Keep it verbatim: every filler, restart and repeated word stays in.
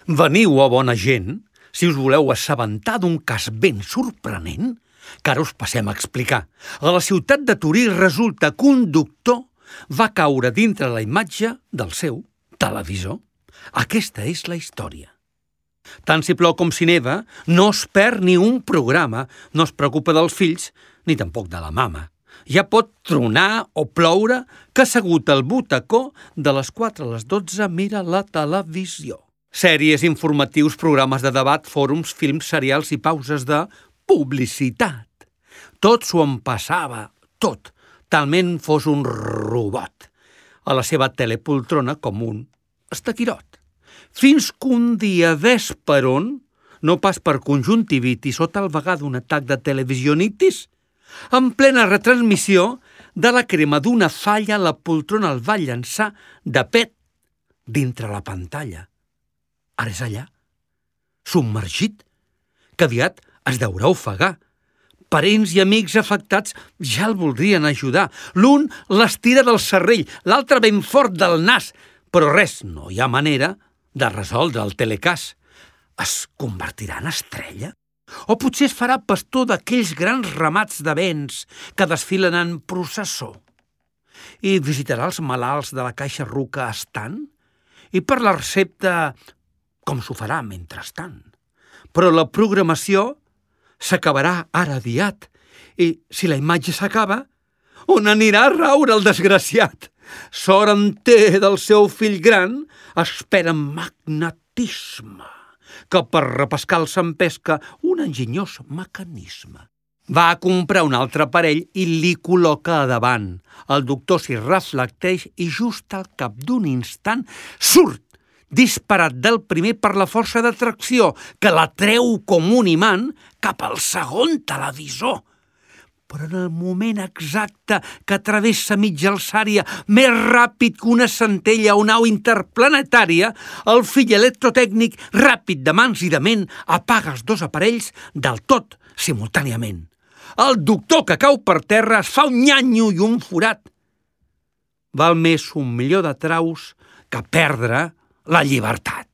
Veniu, oh bona gent, si us voleu assabentar d'un cas ben sorprenent, que ara us passem a explicar. A la ciutat de Torí resulta que un doctor va caure dintre la imatge del seu televisor. Aquesta és la història. Tant si plou com si neva, no es perd ni un programa, no es preocupa dels fills ni tampoc de la mama. Ja pot tronar o ploure que assegut al butacó de les quatre a les dotze mira la televisió. Sèries, informatius, programes de debat, fòrums, films, serials i pauses de publicitat. Tot s'ho empassava, tot, talment fos un robot, a la seva telepoltrona com un estaquirot. Fins que un dia ves per on, no pas per conjuntivitis o tal vegada un atac de televisionitis, en plena retransmissió de la crema d'una falla la poltrona el va llançar de pet dintre la pantalla. Ara és allà, submergit, que aviat es deurà ofegar. Parents i amics afectats ja el voldrien ajudar. L'un l'estira del cervell, l'altre ben fort del nas, però res, no hi ha manera de resoldre el telecàs. Es convertirà en estrella? O potser es farà pastor d'aquells grans ramats de béns que desfilen en processó? I visitarà els malalts de la Caixa Ruca estant? I per la recepta, com s'ho farà mentrestant? Però la programació s'acabarà ara aviat. I si la imatge s'acaba, on anirà a raure el desgraciat? Sort en té del seu fill gran, espera magnetisme, que per repescar s'empesca un enginyós mecanisme. Va a comprar un altre aparell i li col·loca a davant. El doctor s'hi reflecteix i just al cap d'un instant surt disparat del primer per la força d'atracció, que la treu com un imant cap al segon televisor. Però en el moment exacte que travessa mitja alçària, més ràpid que una centella o nau interplanetària, el fill electrotècnic, ràpid de mans i de ment, apaga els dos aparells del tot simultàniament. El doctor que cau per terra es fa un nyanyo i un forat. Val més un milió de traus que perdre la llibertat.